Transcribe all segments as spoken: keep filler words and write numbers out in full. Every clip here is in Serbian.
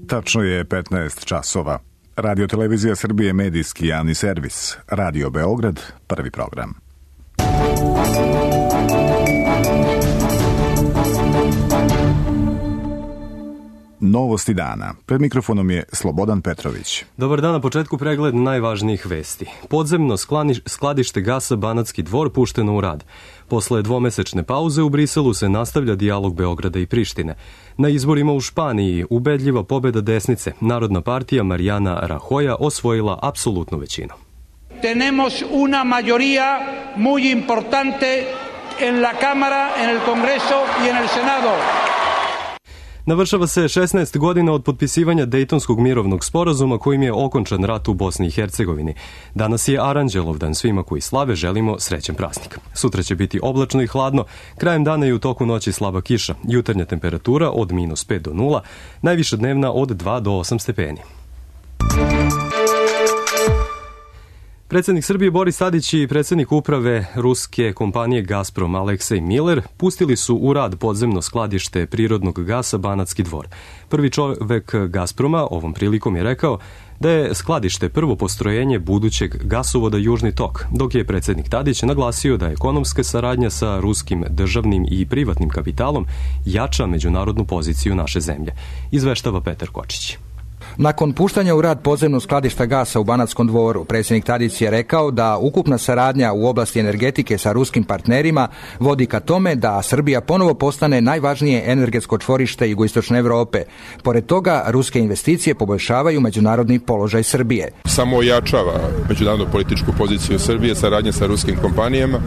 Tačno je petnaest časova. Radio Televizija Srbije, medijski javni servis. Radio Beograd, prvi program. Novosti dana. Pred mikrofonom je Slobodan Petrović. Dobar dan, na početku pregled najvažnijih vesti. Podzemno skladište gasa Banatski Dvor pušteno u rad. Posle dvomesečne pauze u Briselu se nastavlja dijalog Beograda i Prištine. Na izborima u Španiji ubedljiva pobeda desnice. Narodna partija Mariana Rajoya osvojila apsolutnu većinu. Tenemos una mayoría muy importante en la Cámara, en el Congreso y en el Senado. Navršava se šesnaest godina od potpisivanja Dejtonskog mirovnog sporazuma kojim je okončan rat u Bosni i Hercegovini. Danas je Aranđelovdan, svima koji slave želimo srećan praznik. Sutra će biti oblačno i hladno, krajem dana i u toku noći slaba kiša, jutarnja temperatura od minus pet do nula, najviša dnevna od dva do osam stepeni. Predsjednik Srbije Boris Tadić i predsjednik uprave ruske kompanije Gazprom Aleksej Miller pustili su u rad podzemno skladište prirodnog gasa Banatski Dvor. Prvi čovek Gazproma ovom prilikom je rekao da je skladište prvo postrojenje budućeg gasovoda Južni tok, dok je predsjednik Tadić naglasio da ekonomska saradnja sa ruskim državnim i privatnim kapitalom jača međunarodnu poziciju naše zemlje. Izveštava Petar Kočić. Nakon puštanja u rad podzemnog skladišta gasa u Banatskom Dvoru, predsjednik Tadić je rekao da ukupna saradnja u oblasti energetike sa ruskim partnerima vodi ka tome da Srbija ponovo postane najvažnije energetsko čvorište jugoistočne Evrope. Pored toga, ruske investicije poboljšavaju međunarodni položaj Srbije. Samo ojačava međunarodnu političku poziciju Srbije, saradnja sa ruskim kompanijama.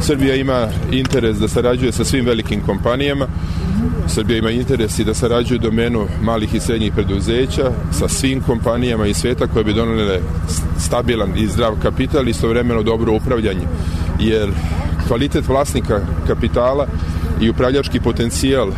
Srbija ima interes da sarađuje sa svim velikim kompanijama. Srbija ima interes i da sarađuje u domenu malih i srednjih preduzeća sa svim kompanijama iz sveta koje bi donele stabilan i zdrav kapital i istovremeno dobro upravljanje. Jer kvalitet vlasnika kapitala i upravljački potencijal e,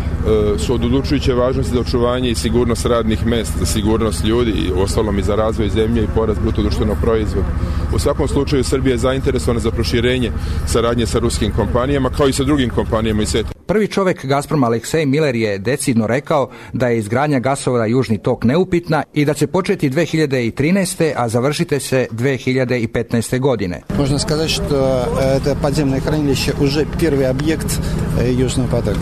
su od odlučujuće važnosti za očuvanje i sigurnost radnih mesta, za sigurnost ljudi i ostalom i za razvoj zemlje i porast bruto društvenog proizvoda. U svakom slučaju Srbija je zainteresovana za proširenje saradnje sa ruskim kompanijama kao i sa drugim kompanijama iz sveta. Prvi čovek Gazprom Aleksej Miller je decidno rekao da je izgradnja gasovoda Južni tok neupitna i da će početi dve hiljade trinaeste. a završiti se dve hiljade petnaeste. godine. Možemo сказать, što je podzemno hranilište уже prvi objekt Južnog potoka.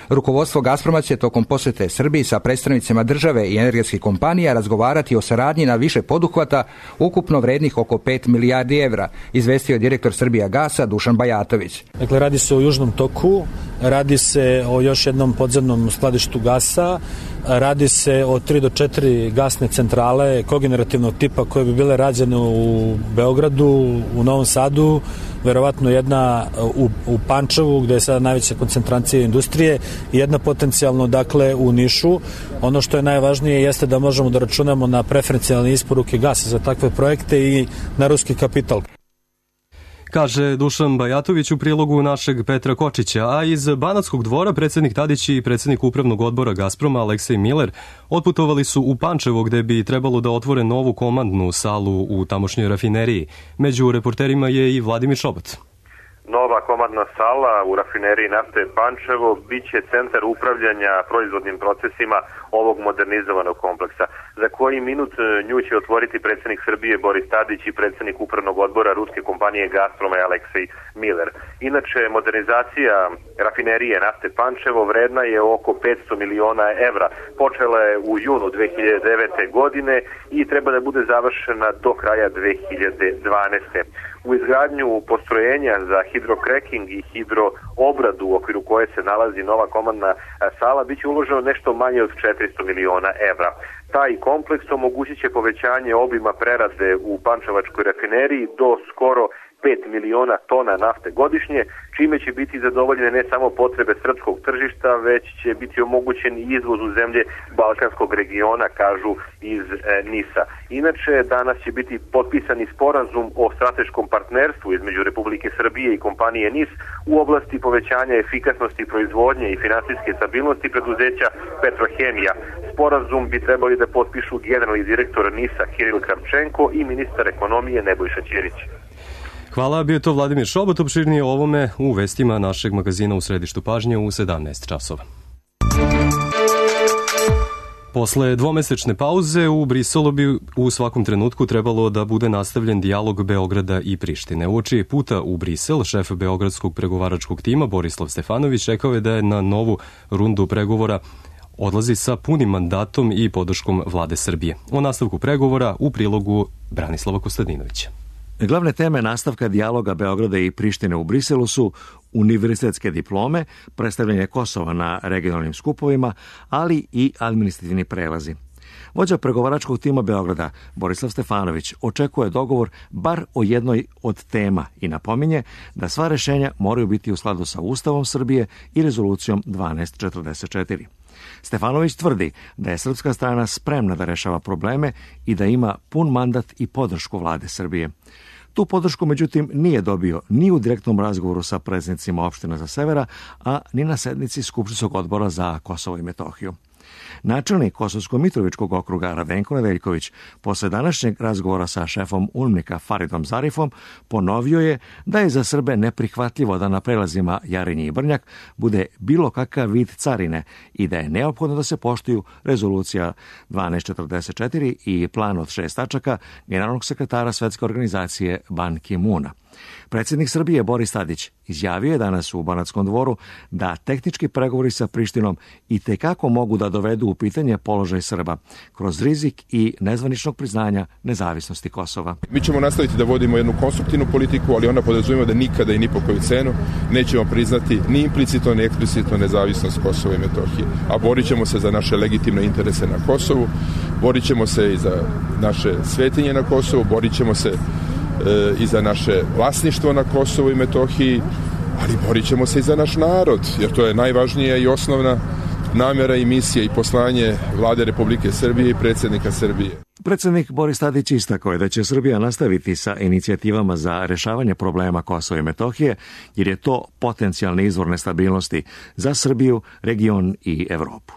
Rukovodstvo Gazproma će tokom posjete Srbiji sa predstavnicima države i energetskih kompanija razgovarati o saradnji na više poduhvata, ukupno vrednih oko pet milijardi evra, izvestio je direktor Srbija gasa Dušan Bajatović. Dakle, radi se o Južnom toku, radi se o još jednom podzemnom skladištu gasa, radi se o tri do četiri gasne centrale kogenerativnog tipa koje bi bile rađene u Beogradu, u Novom Sadu, verovatno jedna u, u Pančevu gde je sada najveća koncentracija industrije i jedna potencijalno dakle u Nišu. Ono što je najvažnije jeste da možemo da računamo na preferencijalne isporuke gasa za takve projekte i na ruski kapital. Kaže Dušan Bajatović u prilogu našeg Petra Kočića, a iz Banatskog Dvora predsjednik Tadić i predsjednik upravnog odbora Gazproma Aleksej Miller otputovali su u Pančevo gde bi trebalo da otvore novu komandnu salu u tamošnjoj rafineriji. Među reporterima je i Vladimir Šobot. Nova komandna sala u rafineriji nafte Pančevo biće centar upravljanja proizvodnim procesima ovog modernizovanog kompleksa. Za koji minut nju će otvoriti predsjednik Srbije Boris Tadić i predsjednik upravnog odbora ruske kompanije Gazproma Aleksej Miller. Inače, modernizacija rafinerije nafte Pančevo vredna je oko petsto miliona evra. Počela je u junu dve hiljade devete. godine i treba da bude završena do kraja dve hiljade dvanaeste. U izgradnju postrojenja za hidrokreking i hidroobradu u okviru koje se nalazi nova komandna sala biće uloženo nešto manje od četiristo miliona evra. Taj kompleks omogućit će povećanje obima prerade u pančevačkoj rafineriji do skoro pet miliona tona nafte godišnje, čime će biti zadovoljene ne samo potrebe srpskog tržišta, već će biti omogućen i izvoz u zemlje Balkanskog regiona, kažu iz e, Nisa. Inače, danas će biti potpisani sporazum o strateškom partnerstvu između Republike Srbije i kompanije N I S u oblasti povećanja efikasnosti proizvodnje i finansijske stabilnosti preduzeća Petrohemija. Sporazum bi trebali da potpišu generalni direktor N I S-a Kiril Karčenko i ministar ekonomije Nebojša Ćirić. Hvala, bio je to Vladimir Šobot, opširnije o ovome u vestima našeg magazina U središtu pažnje u sedamnaest časova. Posle dvomesečne pauze u Briselu bi u svakom trenutku trebalo da bude nastavljen dijalog Beograda i Prištine. Uoči puta u Brisel, šef beogradskog pregovaračkog tima Borislav Stefanović rekao je da je na novu rundu pregovora odlazi sa punim mandatom i podrškom vlade Srbije. O nastavku pregovora u prilogu Branislava Kostadinovića. Glavne teme nastavka dijaloga Beograda i Prištine u Briselu su univerzitetske diplome, predstavljanje Kosova na regionalnim skupovima, ali i administrativni prelazi. Vođa pregovaračkog tima Beograda, Borislav Stefanović, očekuje dogovor bar o jednoj od tema i napominje da sva rešenja moraju biti u skladu sa Ustavom Srbije i rezolucijom dvanaest četrdeset četiri. Stefanović tvrdi da je srpska strana spremna da rešava probleme i da ima pun mandat i podršku vlade Srbije. Tu podršku, međutim, nije dobio ni u direktnom razgovoru sa predsednicima opština sa severa, a ni na sednici Skupštinskog odbora za Kosovo i Metohiju. Načelnik Kosovsko-Mitrovičkog okruga Radenko Nedeljković posle današnjeg razgovora sa šefom UNMIK-a Faridom Zarifom ponovio je da je za Srbe neprihvatljivo da na prelazima Jarinje i Brnjak bude bilo kakav vid carine i da je neophodno da se poštuju rezolucija dvanaest četrdeset četiri i plan od šest tačaka generalnog sekretara Svetske organizacije Ban Ki-moona. Predsjednik Srbije Boris Tadić izjavio je danas u Banatskom dvoru da tehnički pregovori sa Prištinom i tekako mogu da dovedu u pitanje položaj Srba kroz rizik i nezvaničnog priznanja nezavisnosti Kosova. Mi ćemo nastaviti da vodimo jednu konstruktivnu politiku, ali ona podrazumijeva da nikada i ni po koju cenu nećemo priznati ni implicitno ni eksplicitno nezavisnost Kosova i Metohije. A borit ćemo se za naše legitimne interese na Kosovu, borit ćemo se i za naše svetinje na Kosovu, borit ćemo se i za naše vlasništvo na Kosovu i Metohiji, ali borit ćemo se i za naš narod, jer to je najvažnija i osnovna namjera i misija i poslanje vlade Republike Srbije i predsjednika Srbije. Predsjednik Boris Tadić istakao je da će Srbija nastaviti sa inicijativama za rešavanje problema Kosova i Metohije, jer je to potencijalni izvor nestabilnosti za Srbiju, region i Evropu.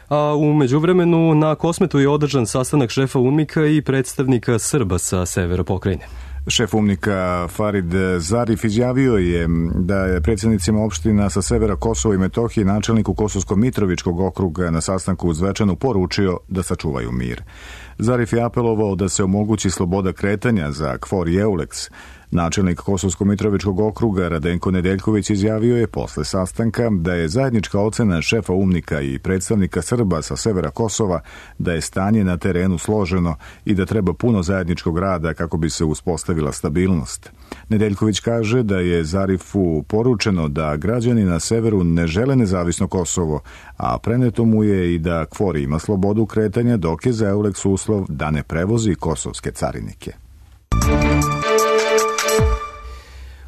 A u međuvremenu na Kosmetu je održan sastanak šefa UNMIK-a i predstavnika Srba sa severa pokrajine. Šef UNMIK-a Farid Zarif izjavio je da je predsjednicima opština sa severa Kosova i Metohije načelniku Kosovsko-Mitrovičkog okruga na sastanku u Zvečanu poručio da sačuvaju mir. Zarif je apelovao da se omogući sloboda kretanja za KFOR i EULEX. Načelnik Kosovsko-Mitrovičkog okruga Radenko Nedeljković izjavio je posle sastanka da je zajednička ocena šefa UNMIK-a i predstavnika Srba sa severa Kosova da je stanje na terenu složeno i da treba puno zajedničkog rada kako bi se uspostavila stabilnost. Nedeljković kaže da je Zarifu poručeno da građani na severu ne žele nezavisno Kosovo, a preneto mu je i da KFOR ima slobodu kretanja dok je za EULEX uslov da ne prevozi kosovske carinike.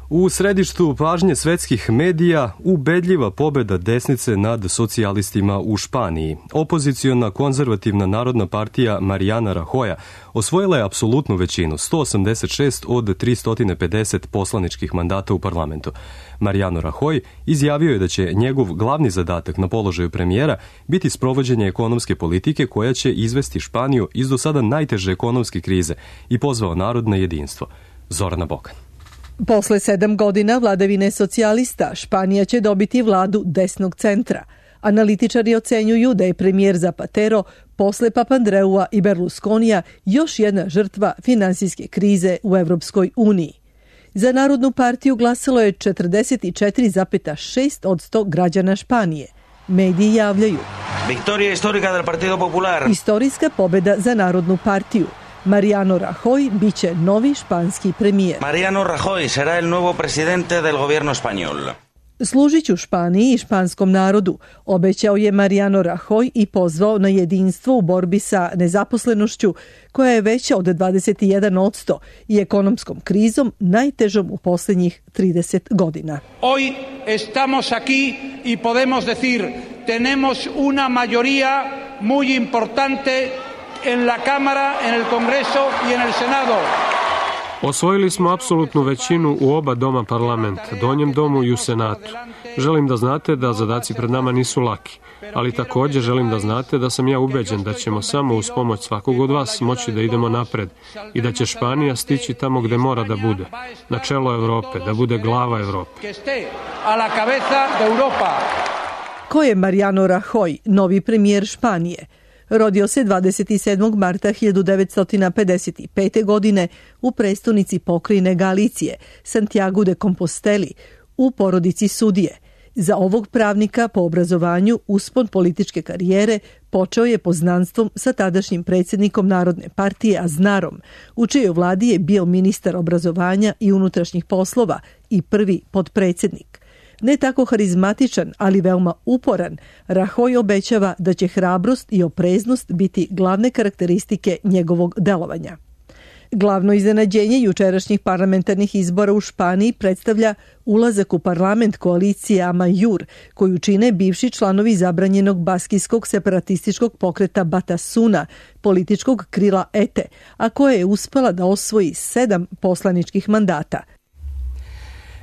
U središtu pažnje svetskih medija ubedljiva pobeda desnice nad socijalistima u Španiji. Opoziciona konzervativna narodna partija Mariana Rajoya osvojila je apsolutnu većinu, sto osamdeset šest od tristo pedeset poslaničkih mandata u parlamentu. Mariano Rajoy izjavio je da će njegov glavni zadatak na položaju premijera biti sprovođenje ekonomske politike koja će izvesti Španiju iz do sada najteže ekonomske krize i pozvao narod na jedinstvo. Zorana Bokan. Posle sedam godina vladavine socijalista, Španija će dobiti vladu desnog centra. Analitičari ocenjuju da je premijer Zapatero posle Papandreua i Berlusconija još jedna žrtva finansijske krize u Evropskoj uniji. Za Narodnu partiju glasalo je četrdeset četiri zarez šest posto građana Španije. Mediji javljaju. Victoria histórica del Partido Popular. Istorijska pobeda za Narodnu partiju. Mariano Rajoy biće novi španski premijer. Mariano Rajoy será el nuevo presidente del gobierno español. Služiću Španiji i španskom narodu, obećao je Mariano Rajoy i pozvao na jedinstvo u borbi sa nezaposlenošću koja je veća od dvadeset jedan posto i ekonomskom krizom najtežom u posljednjih trideset godina. Hoy estamos aquí y podemos decir tenemos una mayoría muy importante en la Cámara, en el Congreso y en el Senado. Osvojili smo apsolutnu većinu u oba doma parlamenta, donjem domu i u Senatu. Želim da znate da zadaci pred nama nisu laki, ali također želim da znate da sam ja ubeđen da ćemo samo uz pomoć svakog od vas moći da idemo napred i da će Španija stići tamo gde mora da bude, na čelo Evrope, da bude glava Evrope. Ko je Mariano Rajoy, novi premijer Španije? Rodio se dvadeset sedmog marta hiljadu devetsto pedeset pete. godine u prestonici pokrajine Galicije, Santiago de Composteli, u porodici sudije. Za ovog pravnika po obrazovanju uspon političke karijere počeo je poznanstvom sa tadašnjim predsjednikom Narodne partije Aznarom, u čijoj vladi je bio ministar obrazovanja i unutrašnjih poslova i prvi podpredsjednik. Ne tako harizmatičan, ali veoma uporan, Rajoy obećava da će hrabrost i opreznost biti glavne karakteristike njegovog delovanja. Glavno iznenađenje jučerašnjih parlamentarnih izbora u Španiji predstavlja ulazak u parlament koalicije Amaiur, koju čine bivši članovi zabranjenog baskijskog separatističkog pokreta Batasuna, političkog krila E T E, a koja je uspela da osvoji sedam poslaničkih mandata.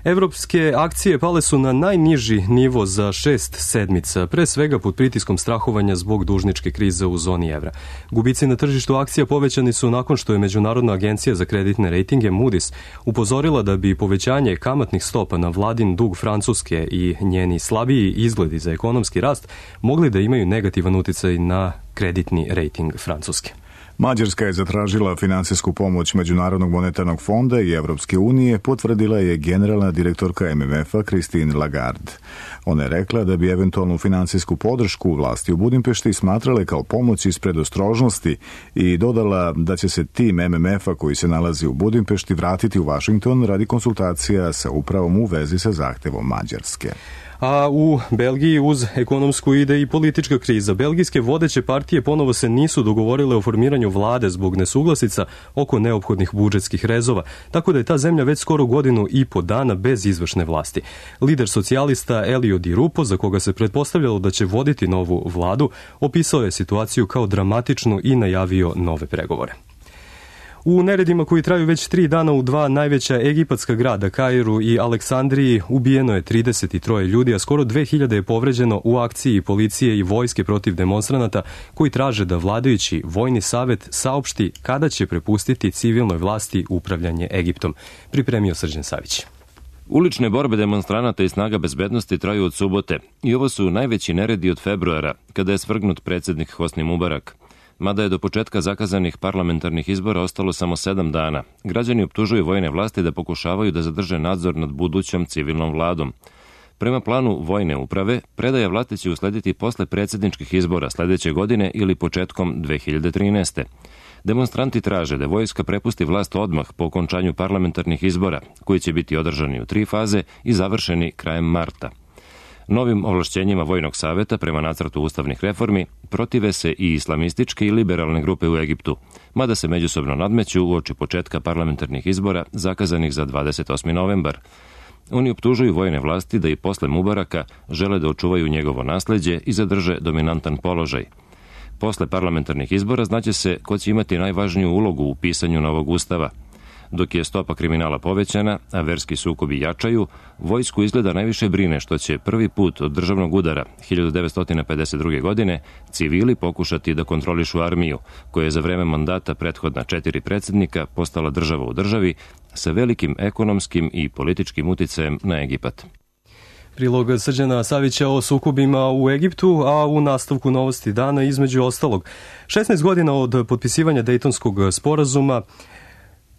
Evropske akcije pale su na najniži nivo za šest sedmica, pre svega pod pritiskom strahovanja zbog dužničke krize u zoni evra. Gubici na tržištu akcija povećani su nakon što je Međunarodna agencija za kreditne rejtinge Moody's upozorila da bi povećanje kamatnih stopa na vladin dug Francuske i njeni slabiji izgledi za ekonomski rast mogli da imaju negativan uticaj na kreditni rejting Francuske. Mađarska je zatražila finansijsku pomoć Međunarodnog monetarnog fonda i Evropske unije, potvrdila je generalna direktorka M M F-a Christine Lagarde. Ona je rekla da bi eventualnu finansijsku podršku vlasti u Budimpešti smatrale kao pomoć iz predostrožnosti i dodala da će se tim M M F-a koji se nalazi u Budimpešti vratiti u Washington radi konsultacija sa upravom u vezi sa zahtevom Mađarske. A u Belgiji uz ekonomsku ide i politička kriza. Belgijske vodeće partije ponovo se nisu dogovorile o formiranju vlade zbog nesuglasica oko neophodnih budžetskih rezova, tako da je ta zemlja već skoro godinu i po dana bez izvršne vlasti. Lider socijalista Elio Di Rupo, za koga se pretpostavljalo da će voditi novu vladu, opisao je situaciju kao dramatičnu i najavio nove pregovore. U neredima koji traju već tri dana u dva najveća egipatska grada, Kairu i Aleksandriji, ubijeno je trideset tri ljudi, a skoro dve hiljade je povređeno u akciji policije i vojske protiv demonstranata koji traže da vladajući vojni savet saopšti kada će prepustiti civilnoj vlasti upravljanje Egiptom. Pripremio Srđan Savić. Ulične borbe demonstranata i snaga bezbednosti traju od subote i ovo su najveći neredi od februara, kada je svrgnut predsjednik Hosni Mubarak. Mada je do početka zakazanih parlamentarnih izbora ostalo samo sedam dana, građani optužuju vojne vlasti da pokušavaju da zadrže nadzor nad budućom civilnom vladom. Prema planu vojne uprave, predaja vlasti će uslediti posle predsjedničkih izbora sledeće godine ili početkom dve hiljade trinaeste. Demonstranti traže da vojska prepusti vlast odmah po okončanju parlamentarnih izbora, koji će biti održani u tri faze i završeni krajem marta. Novim ovlašćenjima Vojnog saveta prema nacrtu ustavnih reformi protive se i islamističke i liberalne grupe u Egiptu, mada se međusobno nadmeću uoči početka parlamentarnih izbora zakazanih za dvadeset osmi novembar. Oni optužuju vojne vlasti da i posle Mubaraka žele da očuvaju njegovo nasleđe i zadrže dominantan položaj. Posle parlamentarnih izbora znaće se ko će imati najvažniju ulogu u pisanju novog ustava. Dok je stopa kriminala povećana, a verski sukobi jačaju, vojsku izgleda najviše brine što će prvi put od državnog udara hiljadu devetsto pedeset druge. godine civili pokušati da kontrolišu armiju, koja je za vreme mandata prethodna četiri predsjednika postala država u državi sa velikim ekonomskim i političkim uticajem na Egipat. Prilog Srđana Savića o sukobima u Egiptu, a u nastavku novosti dana između ostalog. šesnaest godina od potpisivanja Dejtonskog sporazuma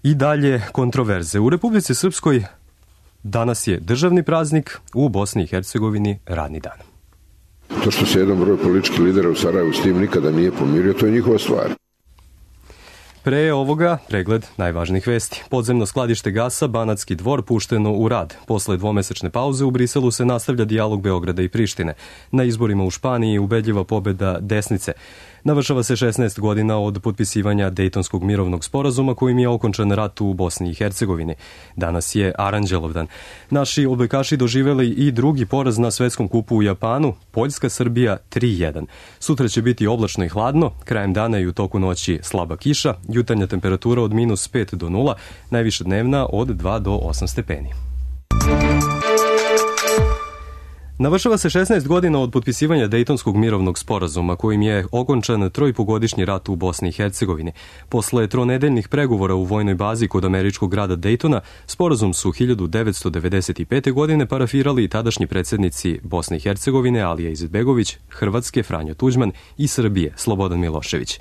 i dalje kontroverze. U Republici Srpskoj danas je državni praznik, u Bosni i Hercegovini radni dan. To što se jedan broj političkih lidera u Sarajevu s tim nikada nije pomirio, to je njihova stvar. Pre ovoga pregled najvažnijih vesti. Podzemno skladište gasa Banatski Dvor pušteno u rad. Posle dvomesečne pauze u Briselu se nastavlja dijalog Beograda i Prištine. Na izborima u Španiji ubedljiva pobeda desnice. Navršava se šesnaest godina od potpisivanja Dejtonskog mirovnog sporazuma kojim je okončan rat u Bosni i Hercegovini. Danas je Aranđelovdan. Naši odbojkaši doživeli i drugi poraz na svetskom kupu u Japanu, Poljska-Srbija tri jedan. Sutra će biti oblačno i hladno, krajem dana i u toku noći slaba kiša, jutarnja temperatura od minus pet do nula, najviša dnevna od dva do osam stepeni. Navršava se šesnaest godina od potpisivanja Dejtonskog mirovnog sporazuma kojim je okončan trojpogodišnji rat u Bosni i Hercegovini. Posle tronedeljnih pregovora u vojnoj bazi kod američkog grada Dejtona, sporazum su hiljadu devetsto devedeset pete. godine parafirali tadašnji predsjednici Bosne i Hercegovine Alija Izetbegović, Hrvatske Franjo Tuđman i Srbije Slobodan Milošević.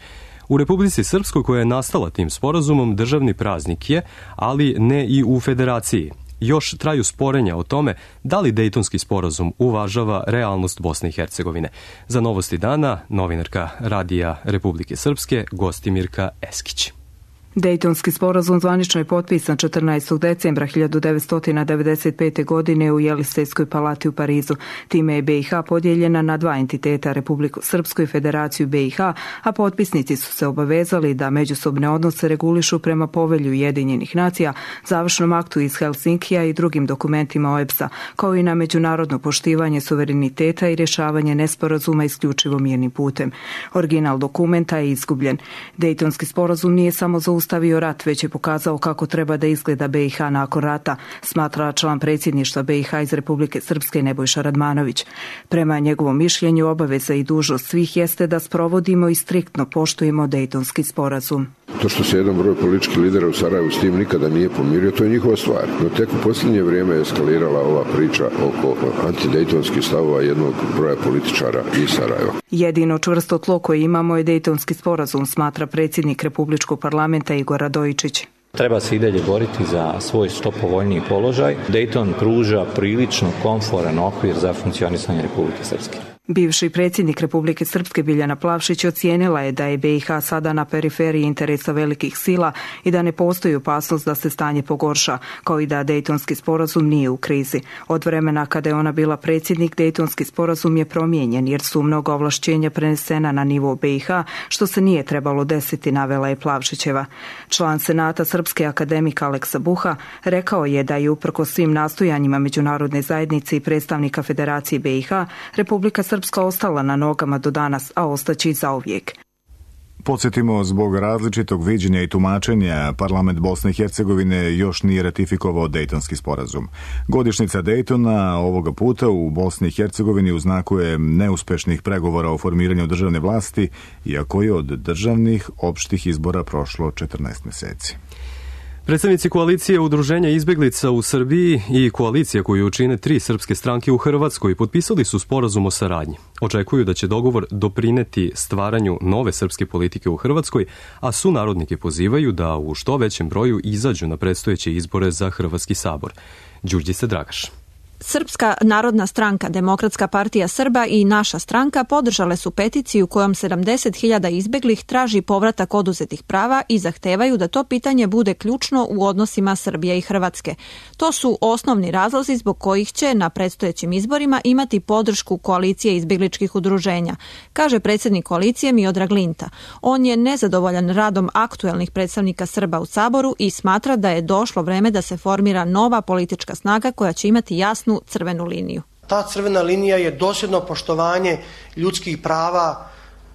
U Republici Srpskoj, koja je nastala tim sporazumom, državni praznik je, ali ne i u Federaciji. Još traju sporenja o tome da li Dejtonski sporazum uvažava realnost Bosne i Hercegovine. Za Novosti dana, novinarka Radija Republike Srpske Gostimirka Eskić. Dejtonski sporazum zvanično je potpisan četrnaestog decembra hiljadu devetsto devedeset pete. godine u Jelisejskoj palati u Parizu. Time je B i H podijeljena na dva entiteta, Republiku Srpsku i Federaciju B i H, a potpisnici su se obavezali da međusobne odnose regulišu prema povelju Ujedinjenih nacija, završnom aktu iz Helsinkija i drugim dokumentima O E B S-a, kao i na međunarodno poštivanje suvereniteta i rješavanje nesporazuma isključivo mirnim putem. Original dokumenta je izgubljen. Dejtonski sporazum nije samo za stavio rat, već je pokazao kako treba da izgleda B i H nakon rata, smatra član predsjedništva B i H iz Republike Srpske Nebojša Radmanović. Prema njegovom mišljenju, obaveza i dužnost svih jeste da sprovodimo i striktno poštujemo Dejtonski sporazum. To što se jedan broj političkih lidera u Sarajevu s tim nikada nije pomirio, to je njihova stvar. No tek u posljednje vrijeme je eskalirala ova priča oko antidejtonskih stavova jednog broja političara iz Sarajeva. Jedino čvrsto tlo koje imamo je Dejtonski sporazum, smatra predsjednik Republičkog parlamenta Igor Radojičić. Treba se i dalje boriti za svoj što povoljniji položaj. Dejton pruža prilično komforan okvir za funkcionisanje Republike Srpske. Bivši predsjednik Republike Srpske Biljana Plavšić ocijenila je da je B i H sada na periferiji interesa velikih sila i da ne postoji opasnost da se stanje pogorša, kao i da Dejtonski sporazum nije u krizi. Od vremena kada je ona bila predsjednik, Dejtonski sporazum je promijenjen jer su mnoga ovlašćenja prenesena na nivo B i H, što se nije trebalo desiti, navela je Plavšićeva. Član Senata Srpske akademik Aleksa Buha rekao je da je uprkos svim nastojanjima međunarodne zajednice i predstavnika Federacije B i H, Republika Srpska ostala na nogama do danas, a ostaće i zauvijek. Podsjetimo, zbog različitog viđenja i tumačenja, parlament Bosne i Hercegovine još nije ratifikovao Dejtonski sporazum. Godišnjica Dejtona ovoga puta u Bosni i Hercegovini u znaku je neuspešnih pregovora o formiranju državne vlasti, iako je od državnih opštih izbora prošlo četrnaest mjeseci. Predstavnici koalicije Udruženja izbeglica u Srbiji i koalicija koju čine tri srpske stranke u Hrvatskoj potpisali su sporazum o saradnji. Očekuju da će dogovor doprineti stvaranju nove srpske politike u Hrvatskoj, a sunarodnike pozivaju da u što većem broju izađu na predstojeće izbore za Hrvatski sabor. Đurđica Dragaš. Srpska narodna stranka, Demokratska partija Srba i Naša stranka podržale su peticiju kojom sedamdeset hiljada izbeglih traži povratak oduzetih prava i zahtevaju da to pitanje bude ključno u odnosima Srbije i Hrvatske. To su osnovni razlozi zbog kojih će na predstojećim izborima imati podršku koalicije izbegličkih udruženja, kaže predsjednik koalicije Miodrag Linta. On je nezadovoljan radom aktuelnih predstavnika Srba u Saboru i smatra da je došlo vreme da se formira nova politička snaga koja će imati jasnu crvenu liniju. Ta crvena linija je dosljedno poštovanje ljudskih prava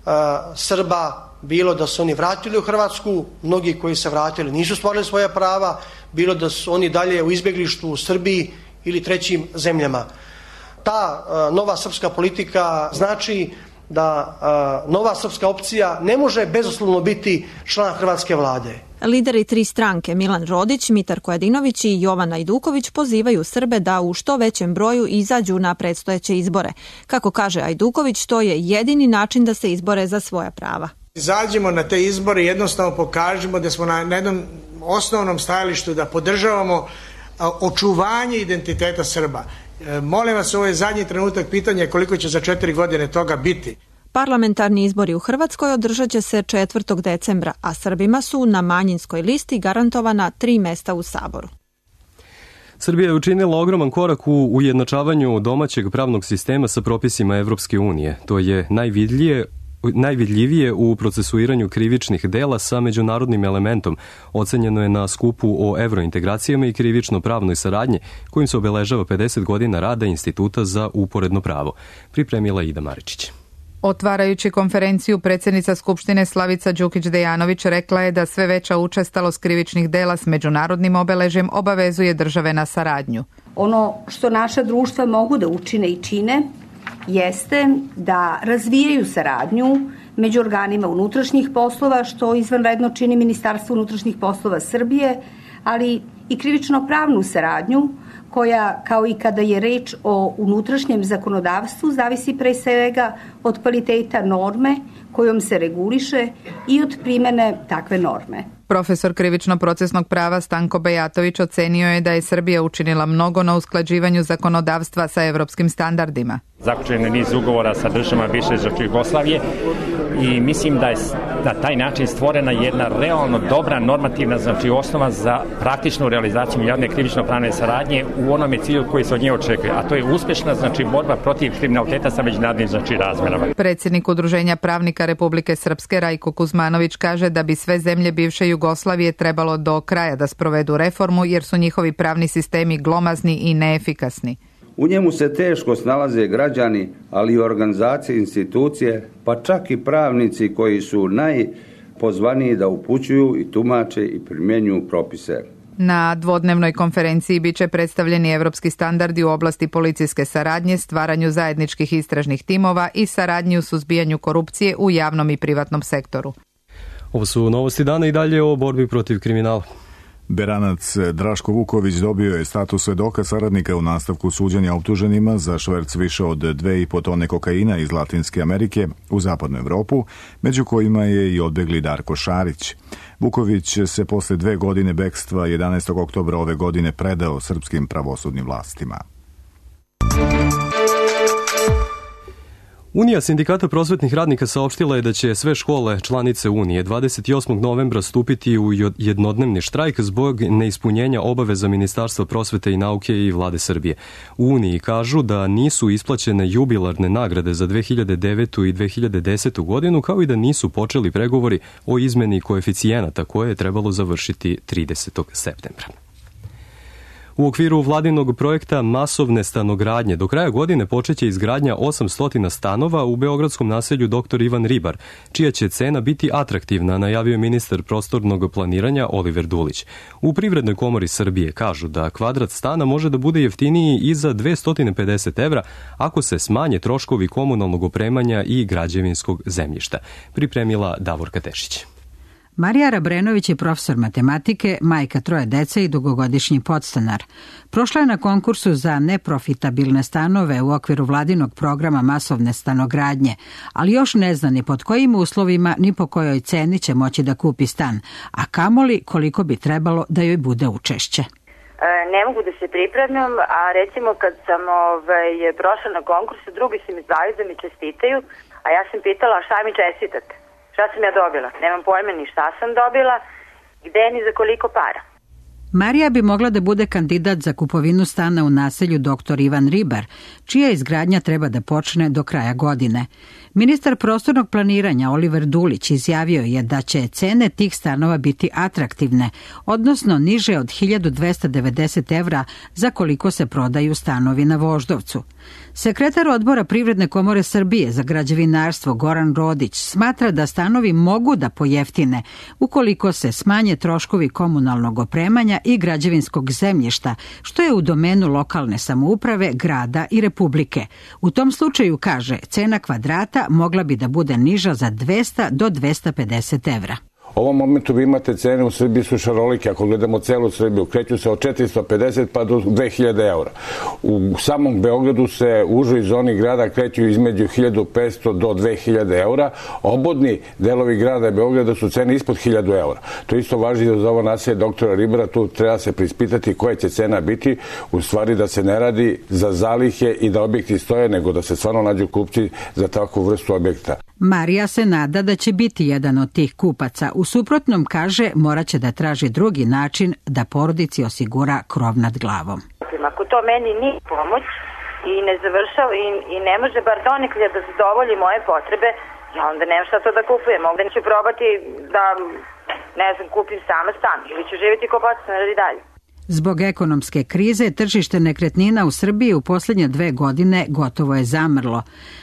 e, Srba, bilo da su oni vratili u Hrvatsku, mnogi koji se vratili nisu stvorili svoja prava, bilo da su oni dalje u izbjeglištvu u Srbiji ili trećim zemljama. Ta e, nova srpska politika znači da e, nova srpska opcija ne može bezuslovno biti član hrvatske vlade. Lideri tri stranke Milan Rodić, Mitar Kojadinović i Jovan Ajduković pozivaju Srbe da u što većem broju izađu na predstojeće izbore. Kako kaže Ajduković, to je jedini način da se izbore za svoja prava. Izađimo na te izbore i jednostavno pokažemo da smo na jednom osnovnom stajalištu, da podržavamo očuvanje identiteta Srba. Molim vas, ovo je zadnji trenutak pitanja koliko će za četiri godine toga biti. Parlamentarni izbori u Hrvatskoj održat će se četvrtog decembra, a Srbima su na manjinskoj listi garantovana tri mesta u Saboru. Srbija je učinila ogroman korak u ujednačavanju domaćeg pravnog sistema sa propisima Evropske unije. To je najvidljivije najvidljivije u procesuiranju krivičnih dela sa međunarodnim elementom. Ocenjeno je na skupu o evrointegracijama i krivično-pravnoj saradnji, kojim se obeležava pedeset godina rada Instituta za uporedno pravo. Pripremila Ida Maričić. Otvarajući konferenciju, predsjednica Skupštine Slavica Đukić-Dejanović rekla je da sve veća učestalost krivičnih dela s međunarodnim obeležjem obavezuje države na saradnju. Ono što naša društva mogu da učine i čine jeste da razvijaju saradnju među organima unutrašnjih poslova, što izvanredno čini Ministarstvo unutrašnjih poslova Srbije, ali i krivično-pravnu saradnju koja, kao i kada je reč o unutrašnjem zakonodavstvu, zavisi pre svega od kvaliteta norme kojom se reguliše i od primene takve norme. Profesor krivično-procesnog prava Stanko Bejatović ocenio je da je Srbija učinila mnogo na usklađivanju zakonodavstva sa evropskim standardima. Zaključen je niz ugovora sa državama bivše Jugoslavije i mislim da je na taj način stvorena jedna realno dobra normativna znači osnova za praktičnu realizaciju javne krivično-pravne saradnje u onome cilju koji se od nje očekuje, a to je uspešna znači borba protiv kriminaliteta sa međunarodnim znači razmerama. Predsjednik Udruženja pravnika Republike Srpske Rajko Kuzmanović kaže da bi sve zemlje bivše Jugoslavije trebalo do kraja da sprovedu reformu jer su njihovi pravni sistemi glomazni i neefikasni. U njemu se teško snalaze građani, ali i organizacije, institucije, pa čak i pravnici koji su najpozvaniji da upućuju i tumače i primjenjuju propise. Na dvodnevnoj konferenciji biće predstavljeni evropski standardi u oblasti policijske saradnje, stvaranju zajedničkih istražnih timova i saradnji u suzbijanju korupcije u javnom i privatnom sektoru. Ovo su novosti dana i dalje o borbi protiv kriminala. Beranac Draško Vuković dobio je status svedoka saradnika u nastavku suđenja optuženima za šverc više od dve i po tone kokaina iz Latinske Amerike u zapadnu Evropu, među kojima je i odbegli Darko Šarić. Vuković se posle dve godine bekstva jedanaestog oktobra ove godine predao srpskim pravosudnim vlastima. Unija sindikata prosvetnih radnika saopštila je da će sve škole članice Unije dvadeset osmog novembra stupiti u jednodnevni štrajk zbog neispunjenja obaveza Ministarstva prosvete i nauke i Vlade Srbije. U Uniji kažu da nisu isplaćene jubilarne nagrade za dve hiljade devetu i dve hiljade desetu godinu, kao i da nisu počeli pregovori o izmeni koeficijenata koje je trebalo završiti tridesetog septembra. U okviru vladinog projekta masovne stanogradnje do kraja godine počeće izgradnja osamsto stanova u beogradskom naselju doktor Ivan Ribar, čija će cena biti atraktivna, najavio je ministar prostornog planiranja Oliver Dulić. U Privrednoj komori Srbije kažu da kvadrat stana može da bude jeftiniji i za dvesta pedeset evra ako se smanje troškovi komunalnog opremanja i građevinskog zemljišta. Pripremila Davorka Tešić. Marija Rabrenović je profesor matematike, majka troje dece i dugogodišnji podstanar. Prošla je na konkursu za neprofitabilne stanove u okviru vladinog programa masovne stanogradnje, ali još ne zna ni pod kojim uslovima ni po kojoj ceni će moći da kupi stan, a kamoli koliko bi trebalo da joj bude učešće. Ne mogu da se pripremim, a recimo kad sam ovaj, prošla na konkursu, drugi su mi zvali da mi čestitaju, a ja sam pitala šta mi čestitate. Šta sam ja dobila? Nemam pojma ni šta sam dobila, gde ni za koliko para. Marija bi mogla da bude kandidat za kupovinu stana u naselju doktor Ivan Ribar, čija izgradnja treba da počne do kraja godine. Ministar prostornog planiranja Oliver Dulić izjavio je da će cene tih stanova biti atraktivne, odnosno niže od hiljadu dvesta devedeset evra za koliko se prodaju stanovi na Voždovcu. Sekretar odbora Privredne komore Srbije za građevinarstvo Goran Rodić smatra da stanovi mogu da pojeftine ukoliko se smanje troškovi komunalnog opremanja i građevinskog zemljišta, što je u domenu lokalne samouprave, grada i republike. U tom slučaju, kaže, cena kvadrata mogla bi da bude niža za dvesta do dvesta pedeset evra. U ovom momentu vi imate cene u Srbiji su šarolike, ako gledamo celu Srbiju, kreću se od četiristo pedeset pa do dve hiljade eura. U samom Beogradu se u užoj zoni grada kreću između hiljadu petsto do dve hiljade eura. Obodni delovi grada Beograda su cene ispod hiljadu eura. To isto važi za ovo naselje doktora Ribara, tu treba se prispitati koja će cena biti, u stvari da se ne radi za zalihe i da objekti stoje, nego da se stvarno nađu kupci za takvu vrstu objekta. Marija se nada da će biti jedan od tih kupaca. U suprotnom, kaže, morat će da traži drugi način da porodici osigura krov nad glavom. Ako to meni nije pomoć i ne završava i, i ne može bar donekle da zadovolji moje potrebe, ja onda nemam šta to da kupujem. Onda ću probati da, ne znam, kupim sama stan ili ću živjeti kao podstanar i dalje. Zbog ekonomske krize, tržište nekretnina u Srbiji u posljednje dve godine gotovo je zamrlo.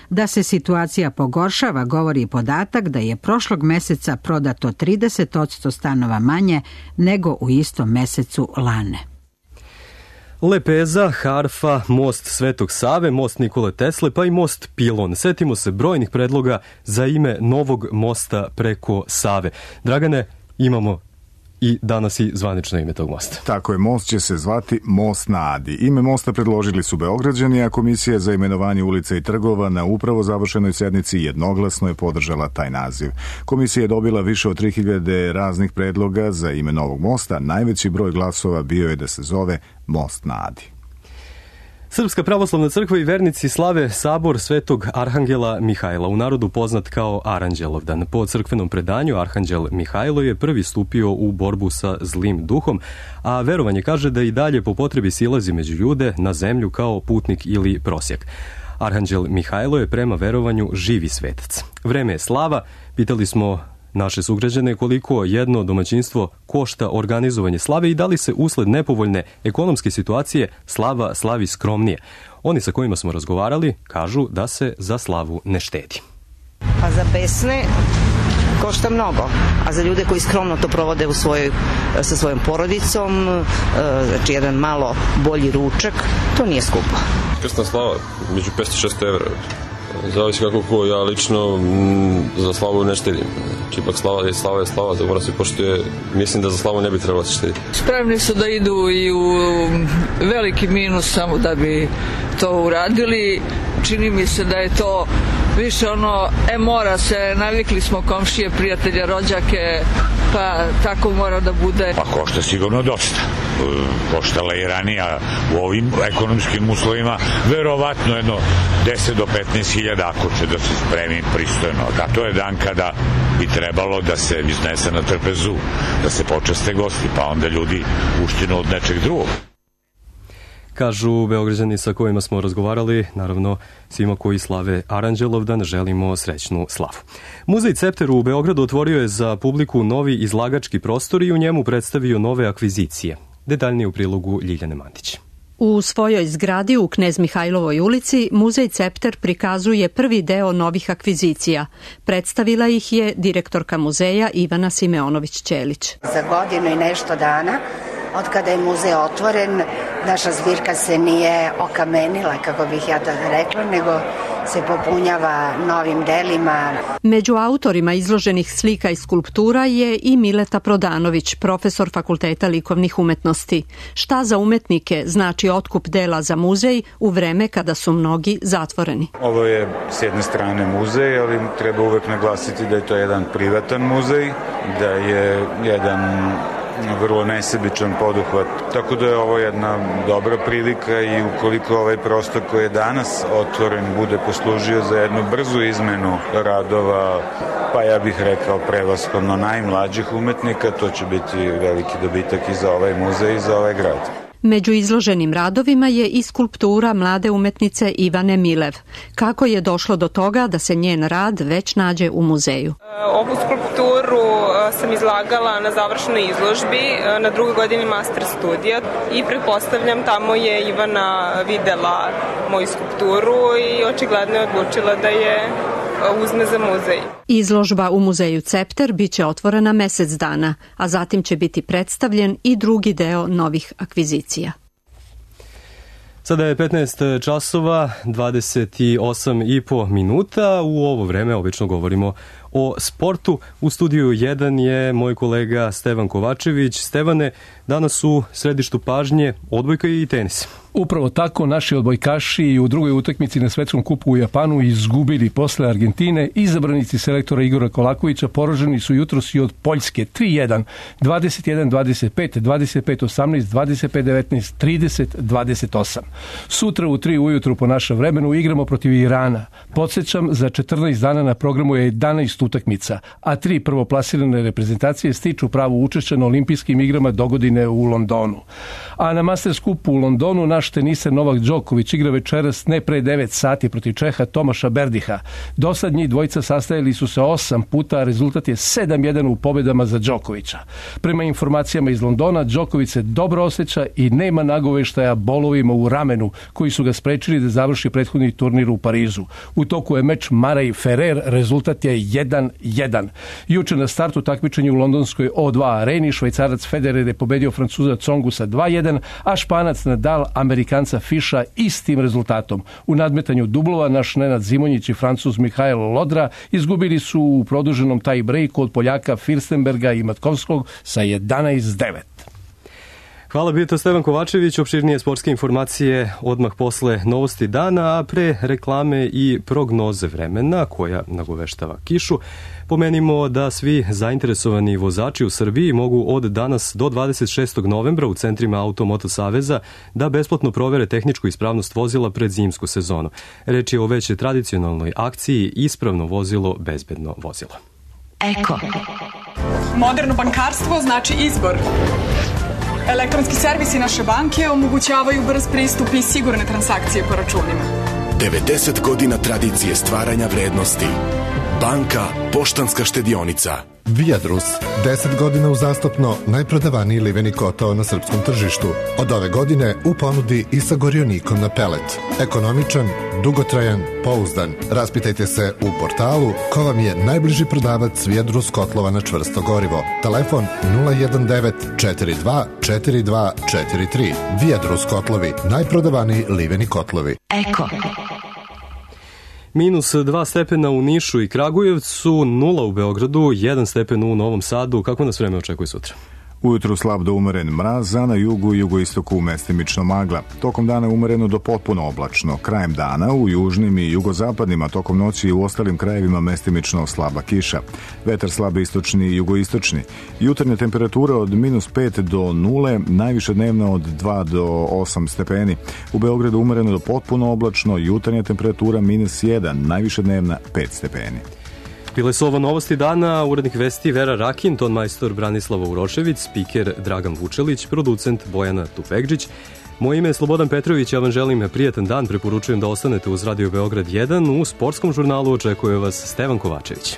Da se situacija pogoršava, govori i podatak da je prošlog meseca prodato trideset posto stanova manje nego u istom mesecu lane. Lepeza, Harfa, most Svetog Save, most Nikole Tesle, pa i most Pilon. Setimo se brojnih predloga za ime novog mosta preko Save. Dragane, imamo i danas i zvanično ime tog mosta. Tako je, most će se zvati Most na Adi. Ime mosta predložili su Beograđani, a Komisija za imenovanje ulica i trgova na upravo završenoj sednici jednoglasno je podržala taj naziv. Komisija je dobila više od tri hiljade raznih predloga za ime novog mosta. Najveći broj glasova bio je da se zove Most na Adi. Srpska pravoslavna crkva i vernici slave sabor Svetog Arhangela Mihajla, u narodu poznat kao Aranđelovdan. Po crkvenom predanju Arhanđel Mihajlo je prvi stupio u borbu sa zlim duhom, a verovanje kaže da i dalje po potrebi silazi među ljude na zemlju kao putnik ili prosjak. Arhanđel Mihajlo je prema verovanju živi svetac. Vreme je slava, pitali smo naše sugrađane koliko jedno domaćinstvo košta organizovanje slave i da li se usled nepovoljne ekonomske situacije slava slavi skromnije. Oni sa kojima smo razgovarali kažu da se za slavu ne štedi. Pa za besne košta mnogo, a za ljude koji skromno to provode u svojoj, sa svojom porodicom, znači jedan malo bolji ručak, to nije skupo. Krsna slava, među petsto do šesto evra. Zavisi kako ko, ja lično m, za slavu ne štedim. Znači, ipak slava je slava je slava, da mora se poštuje. Mislim da za slavu ne bi trebalo se štediti. Spremni su da idu i u veliki minus samo da bi to uradili. Čini mi se da je to više ono, e mora se, navikli smo komšije, prijatelje, rođake, pa tako mora da bude. Pa košta sigurno dosta. Koštala i ranija u ovim ekonomskim uslovima, verovatno jedno deset do petnaest hiljada ako će da se spremi pristojno. Da, to je dan kada bi trebalo da se iznese na trpezu, da se počaste gosti, pa onda ljudi uštinu od nečeg drugog. Kažu Beograđani sa kojima smo razgovarali, naravno svima koji slave Aranđelovdan želimo srećnu slavu. Muzej Cepter u Beogradu otvorio je za publiku novi izlagački prostor i u njemu predstavio nove akvizicije. Detaljnije u prilogu Ljiljane Mandić. U svojoj zgradi u Knez Mihajlovoj ulici Muzej Cepter prikazuje prvi deo novih akvizicija. Predstavila ih je direktorka muzeja Ivana Simeonović-Ćelić. Za godinu i nešto dana od kada je muzej otvoren, naša zbirka se nije okamenila, kako bih ja to rekla, nego se popunjava novim delima. Među autorima izloženih slika i skulptura je i Mileta Prodanović, profesor Fakulteta likovnih umetnosti. Šta za umetnike znači otkup dela za muzej u vreme kada su mnogi zatvoreni? Ovo je s jedne strane muzej, ali treba uvek naglasiti da je to jedan privatan muzej, da je jedan vrlo nesebičan poduhvat. Tako da je ovo jedna dobra prilika i ukoliko ovaj prostor koji je danas otvoren bude poslužio za jednu brzu izmenu radova, pa ja bih rekao prevashodno najmlađih umetnika, to će biti veliki dobitak i za ovaj muzej i za ovaj grad. Među izloženim radovima je i skulptura mlade umetnice Ivane Milev. Kako je došlo do toga da se njen rad već nađe u muzeju? Ovu skulpturu sam izlagala na završnoj izložbi na drugoj godini master studija i pretpostavljam tamo je Ivana videla moju skulpturu i očigledno je odlučila da je uzme za muzej. Izložba u muzeju Cepter biće otvorena mesec dana, a zatim će biti predstavljen i drugi deo novih akvizicija. Sada je petnaest časova, dvadeset osam i po minuta. U ovo vreme obično govorimo o sportu. U studiju jedan je moj kolega Stevan Kovačević. Stevane, danas u središtu pažnje odbojka i tenis. Upravo tako, naši odbojkaši i u drugoj utakmici na Svetskom kupu u Japanu izgubili posle Argentine. Izabranici selektora Igora Kolakovića poraženi su jutros i od Poljske tri jedan, dvadeset jedan dvadeset pet, dvadeset pet osamnaest, dvadeset pet devetnaest, trideset dvadeset osam. Sutra u tri ujutru po našem vremenu igramo protiv Irana. Podsjećam, za četrnaest dana na programu je jedanaest utakmica, a tri prvoplasirane reprezentacije stiču pravo učešća na olimpijskim igrama dogodine u Londonu. A na Masters kupu u Londonu naš teniser Novak Đoković igra večeras ne pre devet sati protiv Čeha Tomaša Berdiha. Do sad njih dvojica sastajali su se osam puta, a rezultat je sedam jedan u pobedama za Đokovića. Prema informacijama iz Londona, Đoković se dobro osjeća i nema nagoveštaja bolovima u ramenu koji su ga sprečili da završi prethodni turnir u Parizu. U toku je meč Mara i Ferrer, rezultat je jedan jedan jedan. Juče na startu takmičenja u londonskoj O dva areni Švajcarac Federer je pobedio Francuza Tsongu sa dva jedan, a Španac Nadal Amerikanca Fiša istim rezultatom. U nadmetanju dublova naš Nenad Zimonjić i Francuz Mihajl Lodra izgubili su u produženom tie breaku od Poljaka Firstenberga i Matkovskog sa jedanaest devet. Hvala, bio to Stevan Kovačević. Opširnije sportske informacije odmah posle novosti dana, a pre reklame i prognoze vremena koja nagoveštava kišu. Pomenimo da svi zainteresovani vozači u Srbiji mogu od danas do dvadeset šestog novembra u centrima Automoto Saveza da besplatno provere tehničku ispravnost vozila pred zimsku sezonu. Reč je o već tradicionalnoj akciji Ispravno vozilo, bezbedno vozilo. Eko. Moderno bankarstvo znači izbor. Elektronski servisi naše banke omogućavaju brz pristup i sigurne transakcije po računima. devedeset godina tradicije stvaranja vrednosti. Banka Poštanska štedionica. Viadrus, deset godina uzastopno najprodavaniji liveni kotao na srpskom tržištu. Od ove godine u ponudi i sa gorionikom na pelet. Ekonomičan, dugotrajan, pouzdan. Raspitajte se u portalu ko vam je najbliži prodavac Viadrus kotlova na čvrsto gorivo. Telefon nula jedan devet četiri dva četiri dva četiri tri. Viadrus kotlovi, najprodavaniji liveni kotlovi. Eko. Minus dva stepena u Nišu i Kragujevcu, nula u Beogradu, jedan stepen u Novom Sadu. Kako nas vreme očekuje sutra? Ujutru slab do umeren mraz, a na jugu i jugoistoku mestimično magla. Tokom dana umereno do potpuno oblačno. Krajem dana u južnim i jugozapadnim, a tokom noći i u ostalim krajevima mestimično slaba kiša. Vetar slab istočni i jugoistočni. Jutarnja temperatura od minus pet do nule, najviše dnevna od dva do osam stepeni. U Beogradu umereno do potpuno oblačno, jutarnja temperatura minus jedan, najviše dnevna pet stepeni. Bile su ovo novosti dana, urednik vesti Vera Rakin, ton majstor Branislava Urošević, spiker Dragan Vučelić, producent Bojana Tupegđić. Moje ime je Slobodan Petrović, ja vam želim prijatan dan, preporučujem da ostanete uz Radio Beograd jedan, u sportskom žurnalu očekuje vas Stevan Kovačević.